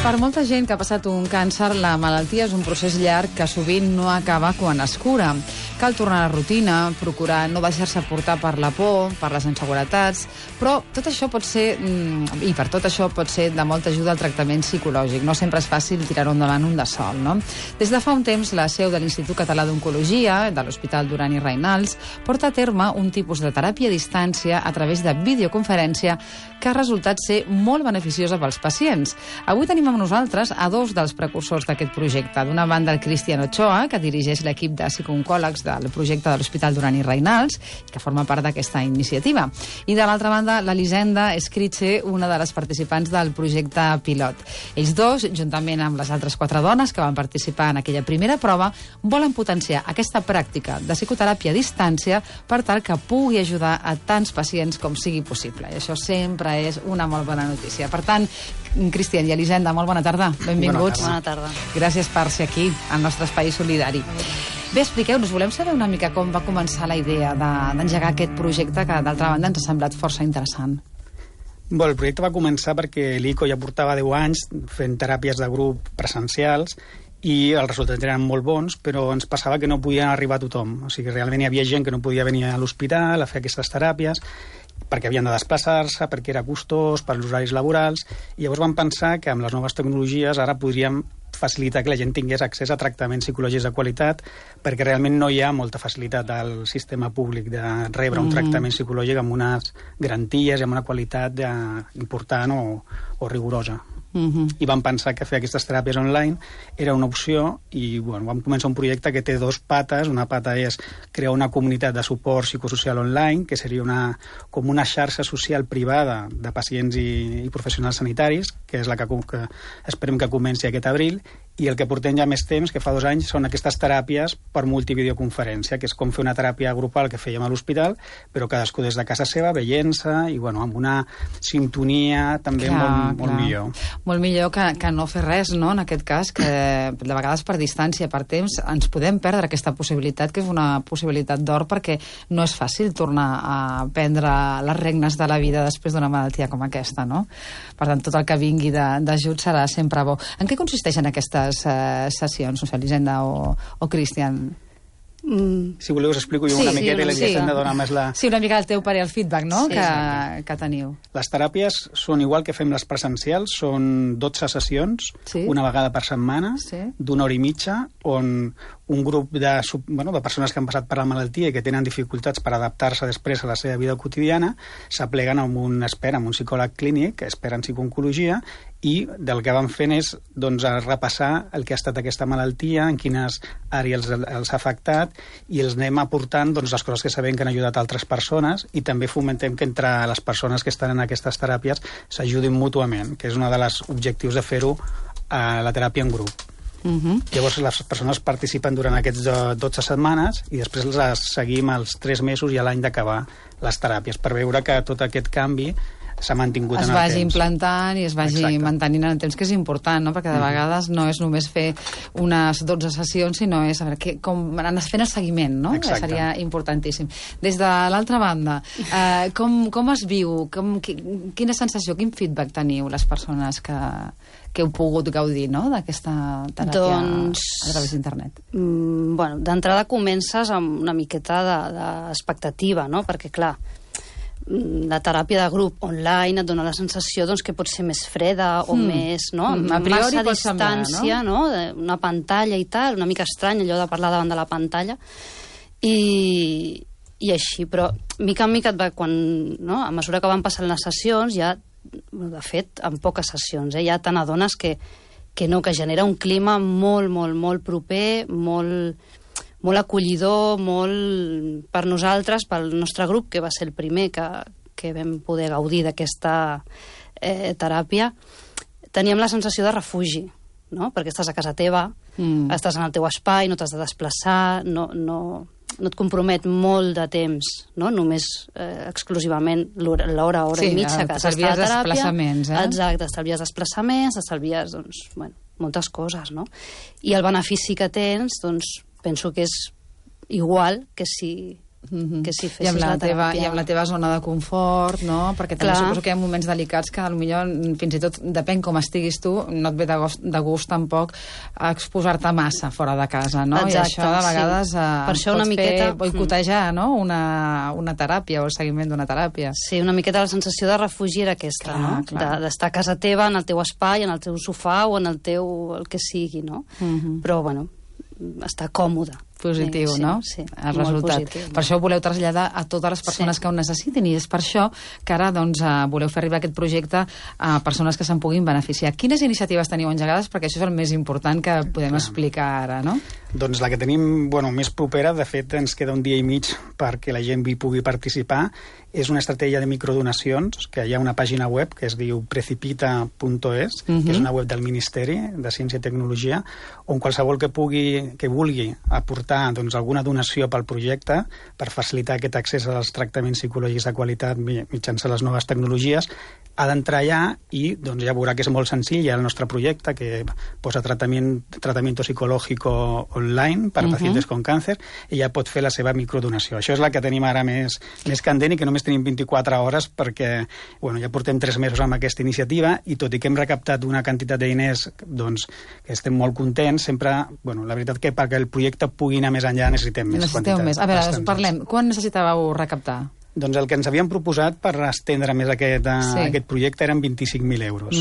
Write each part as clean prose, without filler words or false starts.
Per molta gent que ha passat un càncer, la malaltia és un procés llarg que sovint no acaba quan es cura. Cal tornar a la rutina, procurar no deixar-se portar per la por, per les inseguretats, però tot això pot ser, i per tot això pot ser de molta ajuda al tractament psicològic. No sempre és fàcil tirar-ho endavant un de sol, no? Des de fa un temps, la seu de l'Institut Català d'Oncologia, de l'Hospital Duran i Reynals, porta a terme un tipus de teràpia a distància a través de videoconferència que ha resultat ser molt beneficiosa pels pacients. Avui tenim amb nosaltres a dos dels precursors d'aquest projecte. D'una banda, el Cristian Ochoa, que dirigeix l'equip de psicooncòlegs del projecte de l'Hospital Duran i Reynals, que forma part d'aquesta iniciativa. I de l'altra banda, l'Elisenda Escritxe, una de les participants del projecte pilot. Ells dos, juntament amb les altres 4 dones que van participar en aquella primera prova, volen potenciar aquesta pràctica de psicoteràpia a distància per tal que pugui ajudar a tants pacients com sigui possible. I això sempre és una molt bona notícia. Per tant, Cristian i Elisenda, molt bona tarda. Benvinguts. Bona tarda. Gràcies per ser aquí, al nostre espai solidari. Bé, expliqueu-nos, volem saber una mica com va començar la idea d'engegar aquest projecte que, d'altra banda, ens ha semblat força interessant. Bé, el projecte va començar perquè l'ICO ja portava 10 anys fent teràpies de grup presencials i els resultats eren molt bons, però ens passava que no podia arribar a tothom. O sigui, realment hi havia gent que no podia venir a l'hospital a fer aquestes teràpies perquè havien de desplaçar-se, perquè era costós, per als horaris laborals, i llavors vam pensar que amb les noves tecnologies ara podríem facilitar que la gent tingués accés a tractaments psicològics de qualitat, perquè realment no hi ha molta facilitat al sistema públic de rebre un tractament psicològic amb unes garanties i amb una qualitat important o rigorosa. I vam pensar que fer aquestes teràpies online era una opció i vam començar un projecte que té 2 pates. Una pata és crear una comunitat de suport psicosocial online, que seria com una xarxa social privada de pacients i professionals sanitaris, que és la que esperem que comenci aquest abril, i el que portem ja més temps, que fa 2 anys, són aquestes teràpies per multivideoconferència, que és com fer una teràpia grupal que fèiem a l'hospital, però cadascú des de casa seva, veient-se, i amb una sintonia també molt millor. Molt millor que no fer res, no?, en aquest cas, que de vegades per distància, per temps, ens podem perdre aquesta possibilitat, que és una possibilitat d'or, perquè no és fàcil tornar a prendre les regnes de la vida després d'una malaltia com aquesta, no? Per tant, tot el que vingui d'ajut serà sempre bo. En què consisteixen aquestes sessions, no sé, Elisenda o Cristian? Si voleu us explico jo una miqueta i l'Elisenda dona més la... Sí, una mica el teu parer, el feedback, no?, que teniu. Les teràpies són igual que fem les presencials, són 12 sessions, una vegada per setmana, d'1 hora i mitja, on un grup de persones que han passat per la malaltia i que tenen dificultats per adaptar-se després a la seva vida quotidiana, s'apleguen amb un expert, amb un psicòleg clínic, expert en psicooncologia, i del que van fent és repassar el que ha estat aquesta malaltia, en quines àrees els ha afectat, i els anem aportant les coses que sabem que han ajudat altres persones, i també fomentem que entre les persones que estan en aquestes teràpies s'ajudin mútuament, que és un dels objectius de fer-ho a la teràpia en grup. Llavors les persones participen durant aquests 12 setmanes i després les seguim als 3 mesos i a l'any d'acabar les teràpies, per veure que tot aquest canvi s'ha mantingut en el temps. Es vagi implantant i es vagi mantenint en el temps, que és important, no?, perquè de vegades no és només fer unes 12 sessions, sinó és com anar fent el seguiment, no? Exacte. Seria importantíssim. Des de l'altra banda, com es viu? Quina sensació, quin feedback teniu les persones que heu pogut gaudir, no?, d'aquesta teràpia a través d'internet? D'entrada comences amb una miqueta d'expectativa, no?, perquè, clar, la teràpia de grup online et dona la sensació que pot ser més freda o més, no?, a priori massa distància, no?, una pantalla i tal, una mica estrany allò de parlar davant de la pantalla, i així, però mica en mica a mesura que van passant les sessions, ja, de fet, en poques sessions, ja te n'adones que genera un clima molt proper, molt acollidor, molt per nosaltres, pel nostre grup, que va ser el primer que vam poder gaudir d'aquesta teràpia. Teníem la sensació de refugi, no?, perquè estàs a casa teva, estàs en el teu espai, no t'has de desplaçar, no et compromet molt de temps, no?, només exclusivament l'hora i mitja que has d'estar a teràpia. Desplaçaments, Exacte, t'estalvies desplaçaments, t'estalvies, moltes coses, no? I el benefici que tens, penso que és igual que si que si fessis la teràpia. I amb la teva zona de confort, no? Perquè també suposo que hi ha moments delicats que potser, fins i tot, depèn com estiguis tu, no et ve de gust tampoc exposar-te massa fora de casa, no? Exacte, i això de vegades per això una miqueta boicotejar, no? Una teràpia o el seguiment d'una teràpia. Sí, una miqueta la sensació de refugi era aquesta, no? D'estar a casa teva, en el teu espai, en el teu sofà o en el teu el que sigui, no? Però, bueno, estar còmode. Positiu, no? Sí, el resultat. Positiu, per això ho voleu traslladar a totes les persones que ho necessitin i és per això que ara doncs, voleu fer arribar aquest projecte a persones que se'n puguin beneficiar. Quines iniciatives teniu engegades? Perquè això és el més important que podem explicar ara, no? Doncs la que tenim més propera, de fet ens queda un dia i mig perquè la gent hi pugui participar, és una estratègia de microdonacions, que hi ha una pàgina web que es diu precipita.es, que és una web del Ministeri de Ciència i Tecnologia, on qualsevol que vulgui aportar alguna donació pel projecte per facilitar aquest accés als tractaments psicològics de qualitat mitjançant les noves tecnologies, ha d'entrar allà i ja veurà que és molt senzill. Hi ha el nostre projecte que posa tratamiento psicológico online per pacientes con càncer i ja pot fer la seva microdonació. Això és la que tenim ara més candent i que només tenim 24 hores perquè ja portem 3 mesos amb aquesta iniciativa i tot i que hem recaptat una quantitat de diners que estem molt contents, sempre, la veritat que perquè el projecte pugui anar més enllà necessitem més quantitat. A veure, parlem. Quan necessitàveu recaptar? Doncs el que ens havíem proposat per estendre més aquest projecte eren 25.000 euros.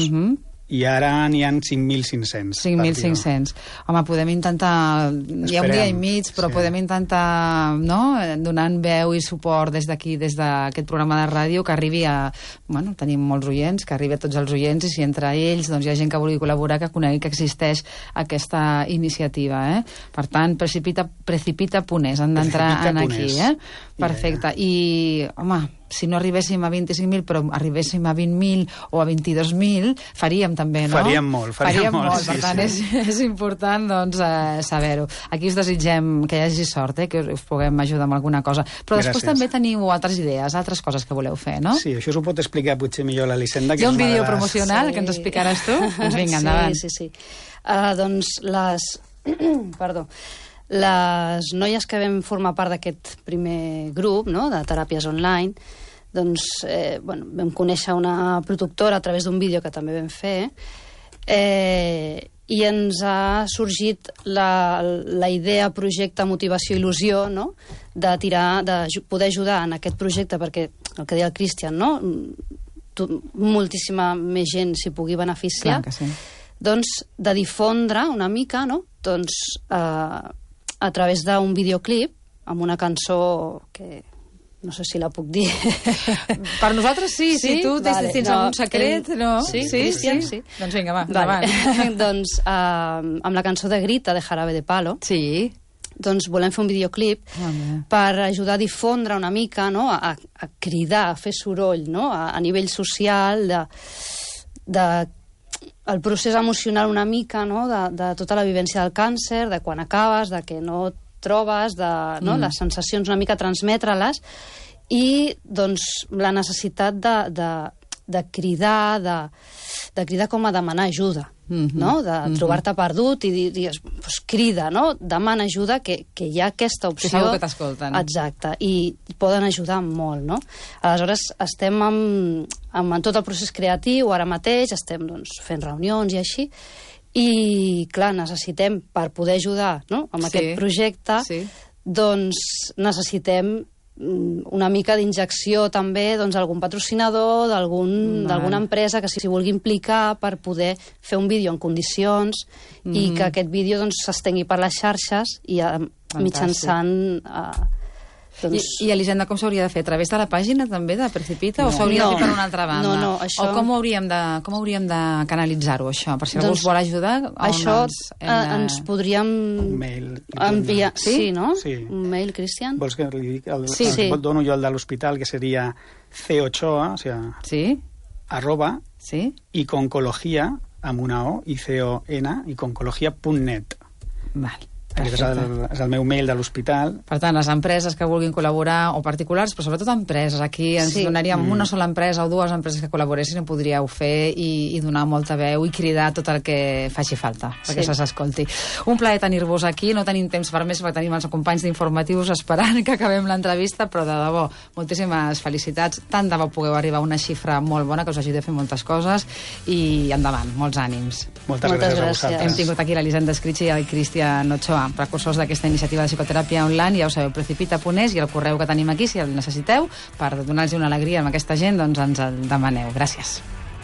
I ara n'hi ha 5.500. 5.500. Home, podem intentar... Hi ha un dia i mig, però podem intentar, no?, donant veu i suport des d'aquí, des d'aquest programa de ràdio, que arribi a... tenim molts oients, que arribi a tots els oients, i si entre ells hi ha gent que vulgui col·laborar, que conegui que existeix aquesta iniciativa, Per tant, precipita.es, han d'entrar aquí, Perfecte. I, home, si no arribéssim a 25.000, però arribéssim a 20.000 o a 22.000, faríem també, no? Faríem molt. Per tant, és important saber-ho. Aquí us desitgem que hi hagi sort, que us puguem ajudar amb alguna cosa. Però després també teniu altres idees, altres coses que voleu fer, no? Sí, això s'ho pot explicar potser millor l'Elisenda. Hi ha un vídeo promocional que ens explicaràs tu? Doncs vinga, endavant. Sí. Doncs les noies que vam formar part d'aquest primer grup, no?, de teràpies online, doncs, vam conèixer una productora a través d'un vídeo que també vam fer, i ens ha sorgit la idea, projecte, motivació, il·lusió, no?, de poder ajudar en aquest projecte, perquè el que deia el Cristian, no?, moltíssima més gent s'hi pugui beneficiar. Clar que sí. Doncs de difondre una mica, no?, doncs a través d'un videoclip amb una cançó que no sé si la puc dir. Per nosaltres sí, si tu tens algun secret, no? Sí, Cristian, sí. Doncs vinga, va, endavant. Doncs amb la cançó de Grita, de Jarabe de Palo, doncs volem fer un videoclip per ajudar a difondre una mica, no?, a cridar, a fer soroll, no?, a nivell social, el procés emocional una mica, no?, de tota la vivència del càncer, de quan acabes, de que no et trobes, les sensacions una mica transmetre-les, i doncs la necessitat de cridar, de cridar com a demanar ajuda, no?, de trobar-te perdut i dir, pues, crida, no?, demana ajuda, que hi ha aquesta opció. Que segur que t'escolten. Exacte, i poden ajudar molt, no? Aleshores, estem en tot el procés creatiu, ara mateix, estem fent reunions i així, i, clar, necessitem, per poder ajudar, no?, amb aquest projecte, doncs necessitem una mica d'injecció també d'algun patrocinador, d'alguna empresa que s'hi vulgui implicar per poder fer un vídeo en condicions i que aquest vídeo s'estengui per les xarxes i mitjançant... I Elisenda, com s'hauria de fer? A través de la pàgina també de Precipita o s'hauria de fer per una altra banda? No, això... O com hauríem de canalitzar-ho, això? Per si algú us vol ajudar, això ens podríem enviar... Sí, no? Un mail, Cristian? Vols que li dic? Et dono jo el de l'hospital, que seria cochoa, o sigui, @ iconcología, amb una O, ICON, iconcología.net. Val. Aquest és el meu mail de l'hospital. Per tant, les empreses que vulguin col·laborar, o particulars, però sobretot empreses, aquí ens donaríem una sola empresa o dues empreses que col·laboressin, ho podríeu fer i donar molta veu i cridar tot el que faci falta, perquè se s'escolti. Un plaer tenir-vos aquí, no tenim temps per més, perquè tenim els companys d'informatius esperant que acabem l'entrevista, però de debò, moltíssimes felicitats, tant de bo pugueu arribar a una xifra molt bona que us ajudi a fer moltes coses i endavant, molts ànims. Moltes gràcies a vosaltres. Hem tingut aquí l'Elisenda Escrichi i el Cristian Ochoa, precursors d'aquesta iniciativa de psicoteràpia online. Ja ho sabeu, precipita.es, i el correu que tenim aquí, si el necessiteu, per donar-los una alegria amb aquesta gent, doncs ens el demaneu. Gràcies.